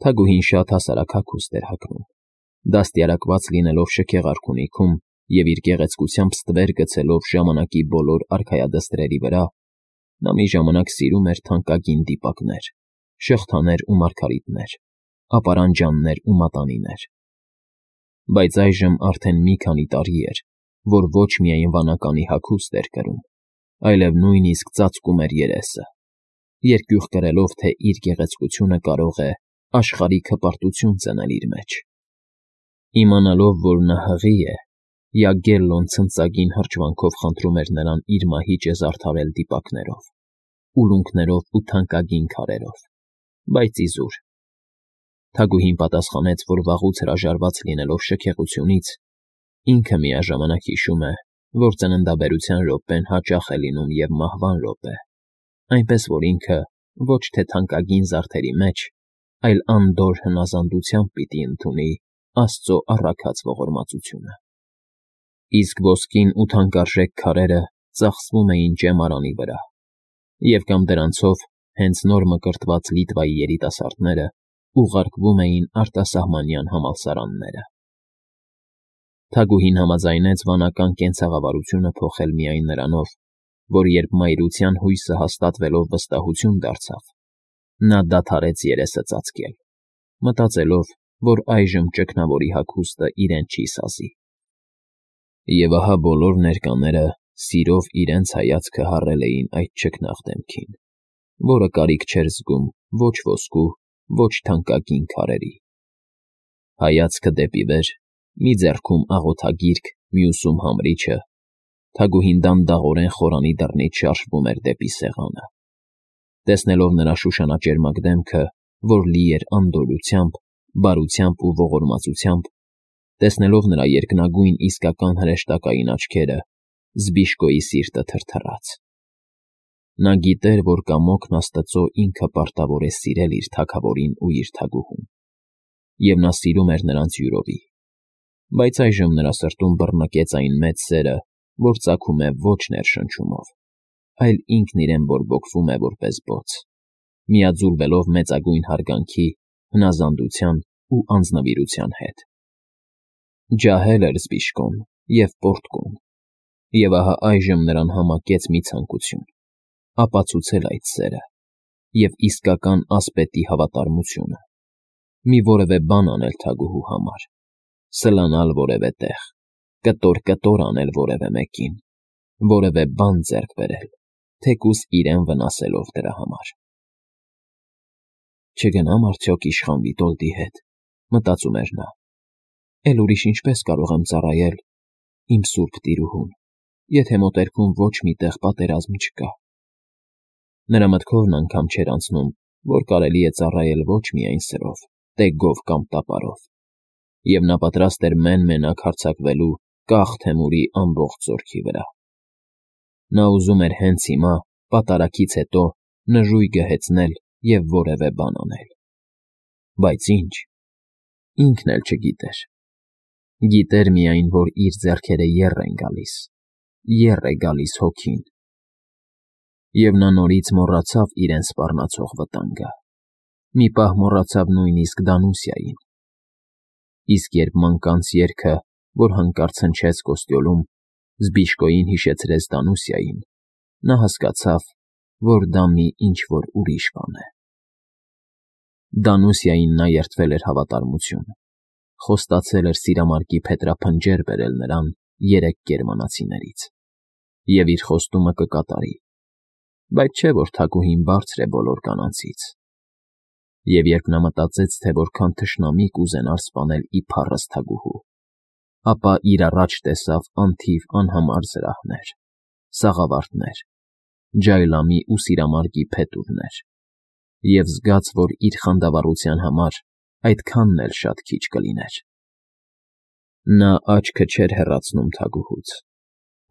Թագուհին շատ հասարակ հագուստ էր հագնում, դաստիարակված լինելով շքեղ արքունիքում և իր գեղեցկությամբ ստվեր գցելով ժամանակի բոլոր արքայադստրերի վրա, նա մի ժամանակ սիրում էր թանկագին դիպակներ, շղթաներ ու մարգարիտներ, ապարանջաններ ու մատանիներ։ Բայց այժմ արդեն մի քանի տարի էր, որ ոչ միայն վանականի հագուստ էր կրում, այլև նույնիսկ ծածկում էր երեսը, երկյուղ կրելով, թե իր գեղեցկությունը կարող է աշխարհիկ հպարտություն ծնել իր մեջ։ Իմանալով, որ նա հղի է, Յագելլոն ցնծագին հրճվանքով խնդրում էր նրան իր մահիճը զարդարել դիպակներով, ուլունքներով ու թանկագին քարերով, բայց իզուր։ Թագուհին պատասխանեց, որ վաղուց հրաժարված լինելով շքեղությունից, ինքը միաժամանակ հիշում է, որ ծննդաբերության րոպեն հաճախ է լինում և մահվան րոպե, այնպես որ ինքը ոչ թե թանկագին զարդերի մեջ, այլ անդորր հնազանդությամբ պիտի ընդունի Աստծո առաքած ողորմածությունը։ Իսկ ոսկին ու թանկարժեք քարերը ծախսվում էին ճեմարանի վրա, և կամ դրանցով հենց նոր մկրտված Լիտվայի երիտասարդները ուղարկվում էին արտասահմանյան համալսարանները։ Թագուհին համաձայնեց վանական կենցաղավարությունը փոխել միայն նրանով, որ երբ մայրության հույսը հաստատվելով վստահություն դարձավ, նա դադարեց երեսը ծածկել, մտածելով, որ այժմ ճգնավորի հագուստը իրեն չի սազի։ Եվ ահա բոլոր ներկաները սիրով իրենց հայացքը հառել էին այդ չքնաղ դեմքին, որը կարիք չէր զգում ոչ ոսկու, ոչ թանկագին քարերի։ Հայացքը դեպի վեր, մի ձեռքում աղոթագիրք, մյուսում համրիչը, Թագուհին դանդաղորեն խորանի դռնից շարժվում էր դեպի սեղանը։ Տեսնելով նրա շուշանաճերմակ դեմքը, որ լի էր անդորրությամբ, բարությամբ ու ողորմածությամբ, տեսնելով նրա երկնագույն իսկական հրեշտակային աչքերը, Զբիշկոյի սիրտը թրթռաց։ Նա գիտեր, որ կամոքն Աստծո ինքը պարտավոր է սիրել իր թագավորին ու իր թագուհուն, և նա սիրում էր նրանց յուրովի, բայց այժմ նրա սրտում բռնկեց այն մեծ սերը, որ ծագում է ոչ ներշնչումով, այլ ինքն իրեն բորբոքվում է որպես բոց, միաձուլվելով մեծագույն հարգանքի, հնազանդության ու անձնվիրության հետ։ Ջահել էր Զբիշկոն և պոռթկուն, և ահա այժմ նրան համակեց մի ցանկություն՝ ապացուցել այդ սերը և իսկական ասպետի հավատարմությունը, մի որևէ բան անել թագուհու համար, սլանալ որևէ տեղ, կտոր անել որևէ մեկին, որևէ բան ձեռք բերել, թեկուզ իրեն վնասելով դրա համար։ «Չգնամ արդյոք իշխան Վիտոլդի հետ», մտածում էր նա, «էլ ուրիշ ինչպես կարող եմ ծառայել իմ սուրբ տիրուհուն, եթե մոտերքում ոչ մի տեղ պատերազմ չկա»։ Նրա մտքովն անգամ չէր անցնում, որ կարելի է ծառայել ոչ միայն սրով, տեգով կամ տապարով, և նա պատրաստ էր մեն֊մենակ հարձակվելու կախ Թեմուրի ամբողջ զորքի վրա։ Նա ուզում էր հենց հիմա, պատարագից հետո, նժույգը հեծնել և որևէ բան անել։ Բայց ի՞նչ, ինքն էլ չգիտեր։ Գիտեր միայն, որ իր ձեռքերը եռ են գալիս, եռ է գալիս հոգին։ Եվ նա նորից մոռացավ իրեն սպառնացող վտանգը, մի պահ մոռացավ նույնիսկ Դանուսիային։ Իսկ երբ մանկանց երգը, որ հանկարծ հնչեց կոստյոլում, Զբիշկոյին հիշեցրեց Դանուսիային, նա հասկացավ, որ դա մի ինչ֊որ ուրիշ բան է։ Դանուսիային նա երդվել էր հավատարմություն, խոստացել էր սիրամարգի փետրափնջեր բերել նրան 3 գերմանացիներից, և իր խոստումը կկատարի, բայց չէ՞ որ թագուհին բարձր է բոլոր կանանցից։ Եվ երբ նա մտածեց, թե որքան թշնամի կուզենար սպանել իբառս թագուհու, ապա իր առաջ տեսավ անթիվ անհամար զրահներ, սաղավարտներ, ջայլամի ու սիրամարգի փետուրներ, և զգաց, որ իր խանդավառության համար այդքանն էլ շատ քիչ կլիներ։ Նա աչքը չէր հեռացնում թագուհուց,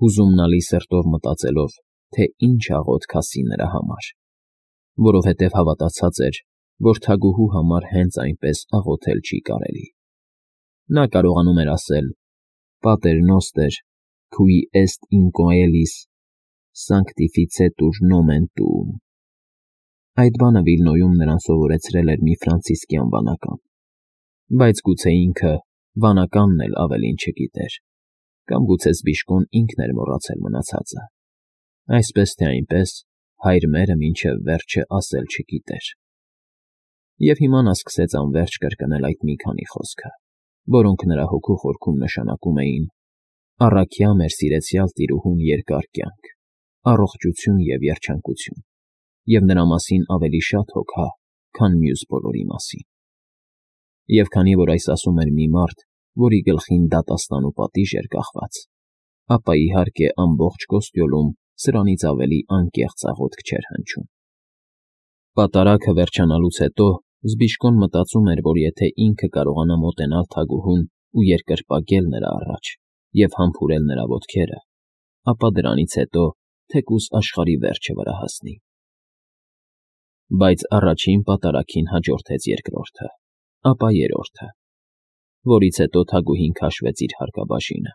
հուզումնալի սրտով մտածելով, թե ինչ աղոթք ասի նրա համար, որովհետև հավատացած էր, որ թագուհու համար հենց այնպես աղոթել չի կարելի։ Նա կարողանում էր ասել. «Pater noster, qui est in coelis, sanctificetur nomen tuum», Այդ բանը Վիլնոյում նրան սովորեցրել էր մի ֆրանցիսկյան վանական, բայց գուցե ինքը վանականն էլ ավելին չգիտեր, կամ գուցե Զբիշկոն ինքն էր մոռացել մնացածը, այսպես թե այնպես հայր մերը մինչև վերջը ասել չգիտեր։ Եվ հիմա նա սկսեց անվերջ կրկնել այդ մի քանի խոսքը, որոնք նրա հոգու խորքում նշանակում էին. «Առաքյա մեր սիրեցյալ տիրուհուն երկար կյանք, առողջություն և երջանկություն, և նրա մասին ավելի շատ հոգա, քան մյուս բոլորի մասին»։ Եվ քանի որ այս ասում էր մի մարդ, որի գլխին դատաստան ու պատիժ էր կախված, ապա իհարկե ամբողջ Կոստյոլում սրանից ավելի անկեղծ աղոթք չէր հնչում։ Պատարագը վերջանալուց հետո Զբիշկոն մտածում էր, որ եթե ինքը կարողանա մոտենալ թագուհուն ու երկրպագել նրա առաջ և համբուրել նրա ոտքերը, ապա դրանից հետո թեկուզ աշխարհի վերջը վրա հասնի։ Բայց առաջին պատարագին հաջորդեց երկրորդը, ապա երրորդը, որից հետո թագուհին քաշվեց իր հարկաբաժինը,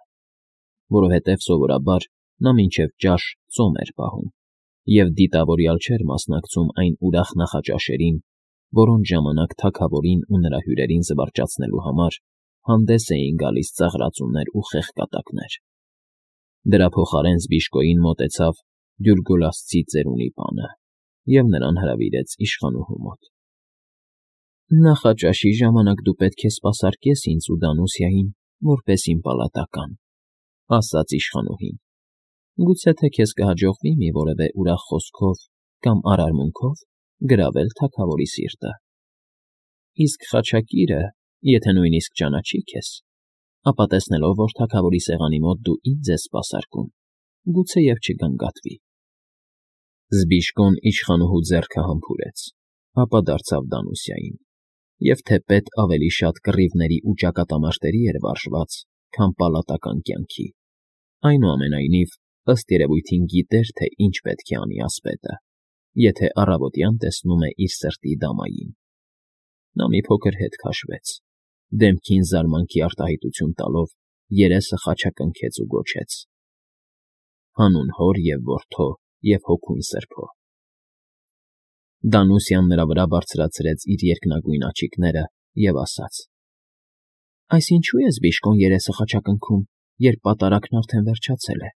որովհետև սովորաբար նա մինչև ճաշ ծոմ էր պահում և դիտավորյալ չէր մասնակցում այն ուրախ նախաճաշերին, որոնց ժամանակ թագավորին ու նրա հյուրերին զվարճացնելու համար հանդես էին գալիս ծաղրածուներ ու խեղկատակներ։ Դրա փոխարեն Զբիշկոյին մոտեցավ Դյուրգոլասցի ծերունի պանը և նրան հրավիրեց իշխանուհու մոտ։ «Նախաճաշի ժամանակ դու պետք է սպասարկես ինձ ու Դանուսիային, որպես իմ պալատական», ասաց իշխանուհին։ «Գուցե թե քեզ կհաջողվի մի որևէ ուրախ խոսքով կամ արարմունքով գրավել թագավորի սիրտը։ Իսկ խաչակիրը, եթե նույնիսկ ճանաչի քեզ, ապա տեսնելով, որ թագավորի սեղանի մոտ դու ինձ ես սպասարկում, գուցեև չգանգատվի»։ Զբիշկոն իշխանուհու ձեռքը համբուրեց, ապա դարձավ Դանուսիային, և թեպետ ավելի շատ կռիվների ու ճակատամարտերի էր վարժված, քան պալատական կյանքի, այնուամենայնիվ, ըստ երևույթին գիտեր, թե ինչ պետք է անի ասպետը, եթե առավոտյան տեսնում է իր սրտի դամային։ Նա մի փոքր հետ քաշվեց, դեմքին զարմանքի արտահայտություն տալով երեսը խաչակնքեց ու գոչեց. «Հանուն հոր և որդու և հոգուն սրբո»։ Դանուսիան նրա վրա բարձրացրեց իր երկնագույն աչիկները և ասաց. «Այս ինչո՞ւ է Զբիշկոն երեսը խաչակնքում, երբ պատարագն արդեն վերջացել է»։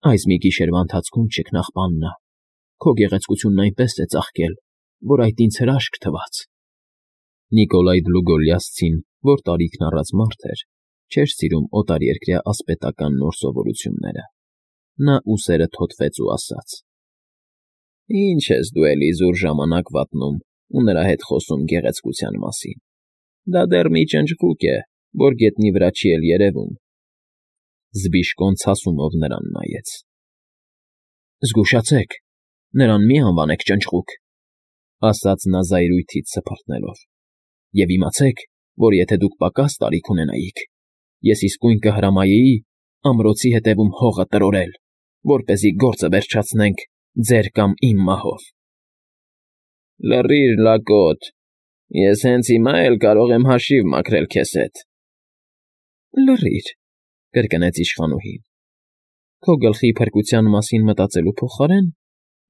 «Այս մի գիշերվա ընթացքում, չքնաղ պաննա, քո գեղեցկությունն այնպես է ծաղկել, որ այդ ինձ հրաշք թվաց»։ Նիկոլայ Դլուգոլիասցին, որ տարիքն առած մարդ էր, չէր սիրում օտարերկրյա ասպետական նոր սովորությունները։ Նա ուսերը թոթվեց ու ասաց. «Ինչ ես դու էլի զուր ժամանակ վատնում ու նրա հետ խոսում գեղեցկության մասին։ Դա դեռ մի ճնճղուկ է, որ գետնի վրա չի էլ երևում»։ Զբիշկոն ցասումով նրան նայեց։ «Զգուշացեք, նրան մի անվանեք ճնճղուկ», ասաց նա զայրույթից սփռտնելով, «և իմացեք, որ եթե դուք պակաս տարիք ունենայիք, ես իսկույն կհրամայեի ամրոցի ետևում հողը տրորել, որպեսզի գործը վերջացնենք ձեր կամ իմ մահով»։ «Լռիր, լակոտ, ես հենց հիմա էլ կարող եմ հաշիվ մաքրել քեզ հետ»։ «Լռիր», կրկնեց իշխանուհին, «քո գլխի փրկության մասին մտածելու փոխարեն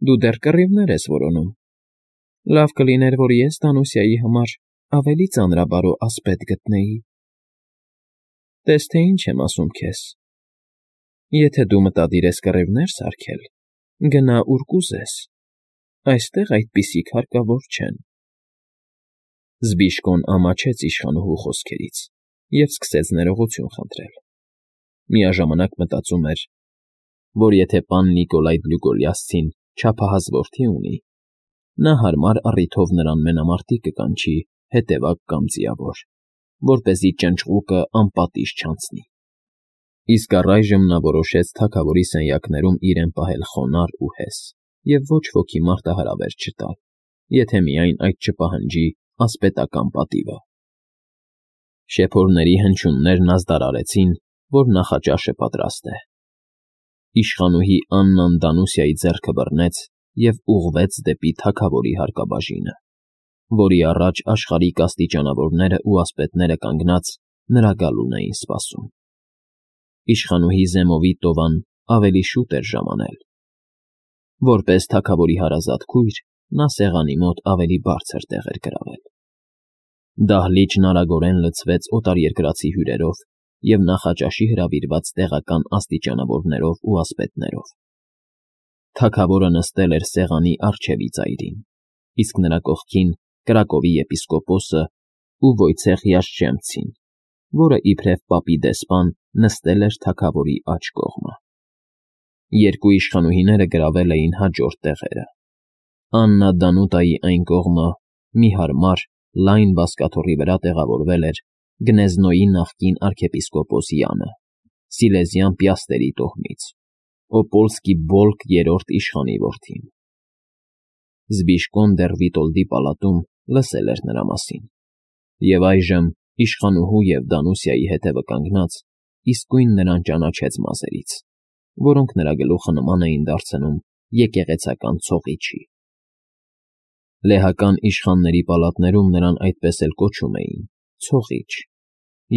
դու դեռ կռիվներ ես որոնում։ Լավ կլիներ, որ ես Դանուսիայի համար ավելի ծանրաբարո ասպետ գտնեի։ Տես թե ինչ եմ ասում քեզ. եթե դու մտադիր ես կռիվներ սարքել, գնա ուր կուզես, այստեղ այդպիսիք հարկավոր չեն»։ Զբիշկոն ամաչեց իշխանուհու խոսքերից և սկսեց ներողություն խնդրել։ Միաժամանակ մտածում էր, որ եթե պան Նիկոլայ Դլուգոլիասցին չափահաս որդի ունի, նա հարմար առիթով նրան մենամարտի կկանչի հետևակ կամ ձիավոր, որպեսզի ճնճղուկը անպատիժ չանցնի։ Իսկ առայժմ նա որոշեց թագավորի սենյակներում իրեն պահել խոնարհ ու հես և ոչ ոքի մարտահրավեր չտալ, եթե միայն այդ չպահանջի ասպետական պատիվը։ Շեփորների հնչյուններն ազդարարեցին, որ նախաճաշը պատրաստ է։ Իշխանուհի Աննան Դանուսիայի ձեռքը բռնեց և ուղղվեց դեպի թագավորի հարկաբաժինը, որի առաջ աշխարհիկ աստիճանավորները ու ասպետները կանգնած նրա գալուն էին սպասում։ Իշխանուհի Զեմովի տովան ավելի շուտ էր ժամանել։ Որպես թագավորի հարազատ քույր, նա սեղանի մոտ ավելի բարձր տեղ էր գրավել։ Դահլիճն արագորեն լցվեց օտարերկրացի հյուրերով և նախաճաշի հրավիրված տեղական աստիճանավորներով ու ասպետներով։ Թագավորը նստել էր սեղանի առջևի ծայրին, իսկ նրա կողքին Կրակովի եպիսկոպոսը ու Վոյցեխ Յաշչեմցին, որը իբրև պապի դեսպան նստել էր թագավորի աջ կողմը։ Երկու իշխանուհիները գրավել էին հաջորդ տեղերը։ Աննա Դանուտայի այն կողմը մի հարմար, լայն բազկաթոռի վրա տեղավորվել էր Գնեզնոյի նախկին arczepiskopos Յանը, Սիլեզյան Պիաստերի տոհմից, Օպոլսկի Բոլկ երրորդ իշխանի որդին։ Զբիշկոն դեռ Վիտոլդի պալատում լսել էր նրա մասին, և այժմ իշխանուհու և Դանուսիայի հետևը կանգնած իսկույն նրան ճանաչեց մազերից, որոնք նրա գլուխը նման էին դարձնում եկեղեցական ցողիչի։ Լեհական իշխանների պալատներում նրան այդպես էլ կոչում էին՝ ցողիչ,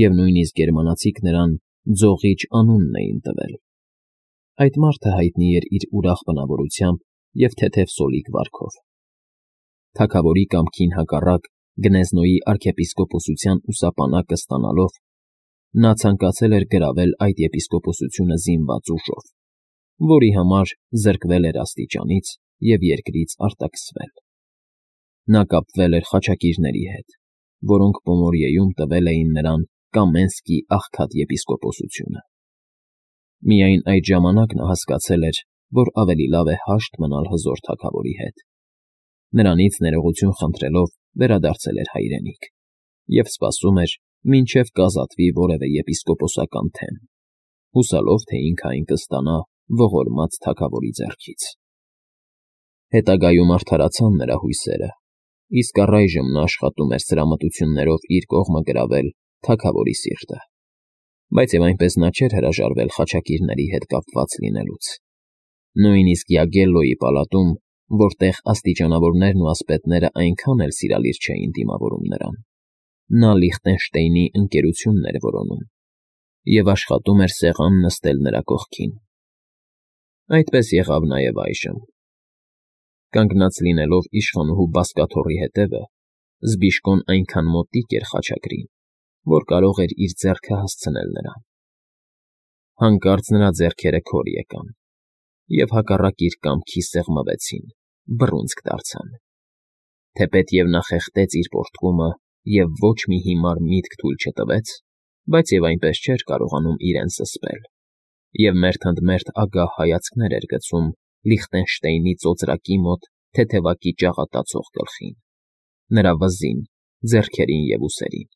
և նույնիսկ գերմանացիք նրան Ձողիչ անունն էին տվել։ Այդ մարդը հայտնի էր իր ուրախ բնավորությամբ և թեթև սոլիկ վարքով։ Թագավորի կամքին հակառակ Գնեզնոյի arczepiskopոսության ուսապանակը ստանալով, նա ցանկացել էր գրավել այդ եպիսկոպոսությունը զինված ուժով, որի համար զրկվել էր աստիճանից և երկրից արտաքսվել։ Նա կապվել էր խաչակիրների հետ, որոնք Պոմորիեում տվել էին նրան Կամենսկի աղքատ եպիսկոպոսությունը։ Միայն այդ ժամանակ նա հասկացել էր, որ ավելի լավ է հաշտ մնալ հզոր թագավորի հետ։ Նրանից ներողություն խնդրելով վերադարձել էր հայրենիք և սպասում էր, մինչև կազատվի որևէ եպիսկոպոսական թեմ, հուսալով, թե ինքը այն կստանա ողորմած թագավորի ձեռքից։ Հետագայում արդարացան նրա հույսերը, իսկ առայժմ նա աշխատում էր սրամտություններով իր կողմը գրավել թագավորի սիրտը, բայց և այնպես նա չէր հրաժարվել խաչակիրների հետ կապված լինելուց։ Նույնիսկ Յագելլոյի պալատում, որտեղ աստիճանավորներն ու ասպետները այնքան էլ սիրալիր չէին դիմավորում նրան, նա Լիխտենշտեյնի ընկերությունն էր որոնում և աշխատում էր սեղան նստել նրա կողքին։ Այդպես եղավ նաև այժմ։ Կանգնած լինելով իշխանուհու բազկաթոռի հետևը, Զբիշկոն այնքան մոտիկ էր խաչակրին, որ կարող էր իր ձեռքը հասցնել նրան։ Հանկարծ նրա ձեռքերը քոր եկան և հակառակ իր կամքի սեղմվեցին, բռունցք դարձան։ Թեպետև նա խեղդեց իր պոռթկումը և ոչ մի հիմար միտք թույլ չտվեց, բայց և այնպես չէր կարողանում իրեն զսպել, և մերթընդմերթ ագահ հայացքներ էր գցում Լիխտենշտեյնի ծոծրակի մոտ թեթևակի ճաղատացող գլխին, նրա վզին, ձեռքերին և ուսերին,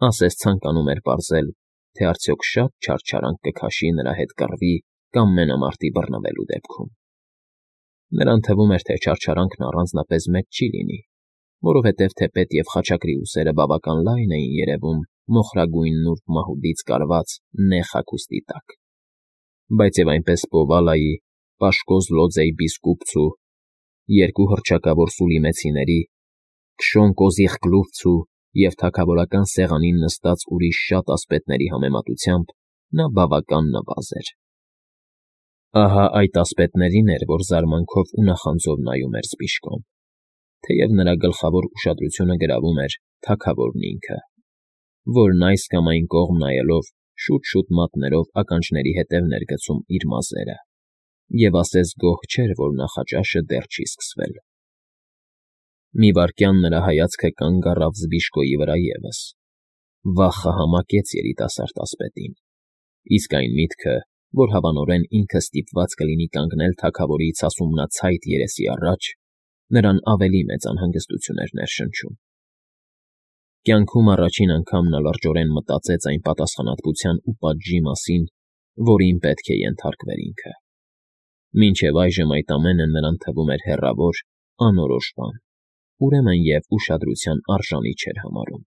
ասես ցանկանում էր պարզել, թե արդյոք շատ չարչարանք կքաշի նրա հետ կռվի կամ մենամարտի բռնվելու դեպքում։ Նրան թվում էր, թե չարչարանքն առանձնապես մեծ չի լինի, որովհետև թեպետև խաչակրի ուսերը բավական լայն էին երևում մոխրագույն նուրբ մահուդից կարված նեղ հագուստի տակ, բայց և այնպես Պովալայի, Պաշկոզ Լոձեի բիզկուպցու, երկու հռչակավոր Սուլիմեցիների, Քշոն Կոզիղկլուֆցու և թագավորական սեղանին նստած ուրիշ շատ ասպետների համեմատությամբ նա բավական նվազ էր։ Ահա այդ ասպետներին էր, որ զարմանքով ու նախանձով նայում էր Զբիշկոն, թեև նրա գլխավոր ուշադրությունը գրավում էր թագավորն ինքը, որն այս կամ այն կողմ նայելով շուտ-շուտ մատներով ականջների հետևն էր գցում իր մազերը և ասես գոհ չէր, որ նախաճաշը դեռ չի սկսվել։ Մի վայրկյան նրա հայացքը կանգ առավ Զբիշկոյի վրա ևս, վախը համակեց երիտասարդ ասպետին, իսկ այն միտքը, որ հավանորեն ինքը ստիպված կլինի կանգնել թագավորի ցասումնացայտ երեսի առաջ, նրան ավելի մեծ անհանգստություն էր ներշնչում։ Կյանքում առաջին անգամ նա լրջորեն մտածեց այն պատասխանատվության ու պատժի մասին, որին պետք է ենթարկվեր ինքը։ Մինչև այժմ այդ ամենը նրան թվում էր հեռավոր, անորոշ բան, ուրեմն և ուշադրության արժանի չէր համարում։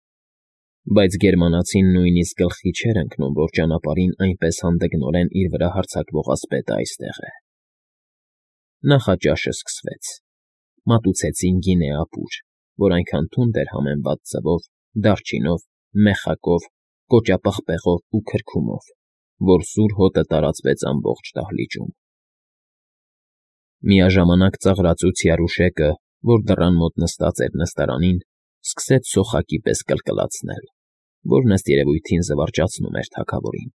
Բայց գերմանացին նույնիսկ գլխի չէր ընկնում, որ ճանապարհին այնպես հանդգնորեն իր վրա հարձակվող ասպետը այստեղ է։ Նախաճաշը սկսվեց։ Մատուցեցին գինեապուր, որ այնքան թունդ էր համեմված ձվով, դարչինով, մեխակով, կոճապղպեղով ու քրքումով, որ սուր հոտը տարածվեց ամբողջ դահլիճում։ Միաժամանակ ծաղրածուց Յարուշեկը, որ դռան մոտ նստած էր նստարանին, սկսեց սոխակի պես կլկլացնել, որն ըստ երևույթին զվարճացնում էր թագավորին։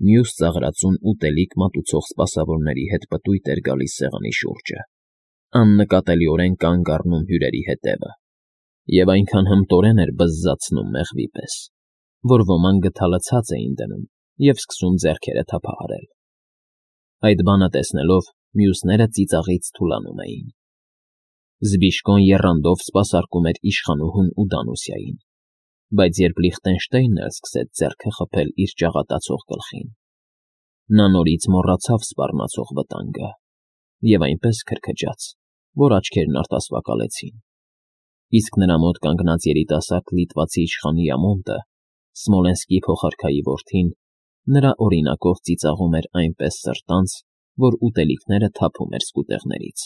Մյուս ծաղրածուն ուտելիք մատուցող սպասավորների հետ պտույտ էր գալիս սեղանի շուրջը, աննկատելիորեն կանգ առնում հյուրերի հետևը, և այնքան հմտորեն էր բզզացնում մեղվի պես, որ ոմանք գդալը ցած էին դնում և սկսում ձեռքերը թափահարել։ Այդ բանը տեսնելով, մյուսները ծիծաղից թուլանում էին։ Զբիշկոն եռանդով սպասարկում էր իշխանուհուն ու Դանուսիային, բայց երբ Լիխտենշտեյնն էլ սկսեց ձեռքը խփել իր ճաղատացող գլխին, նա նորից մոռացավ սպառնացող վտանգը և այնպես քրքջաց, որ աչքերն արտասվակալեցին, իսկ նրա մոտ կանգնած երիտասարդ լիտվացի իշխանի Ամոնտը, Սմոլենսկի փոխարքայի որդին, նրա օրինակով ծիծաղում էր այնպես սրտանց, որ ուտելիքները թափում էր սկուտեղներից։